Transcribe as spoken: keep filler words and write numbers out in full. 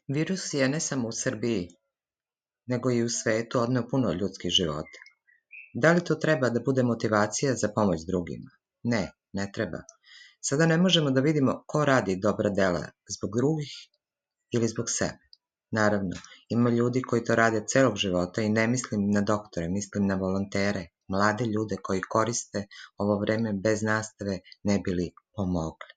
Virus je ne samo u Srbiji, nego i u svetu odneo puno ljudskih života. Da li to treba da bude motivacija za pomoć drugima? Ne, ne treba. Sada ne možemo da vidimo ko radi dobra dela zbog drugih ili zbog sebe. Naravno, ima ljudi koji to rade celog života i ne mislim na doktore, mislim na volontere, mlade ljude koji koriste ovo vreme bez nastave ne bi li pomogli.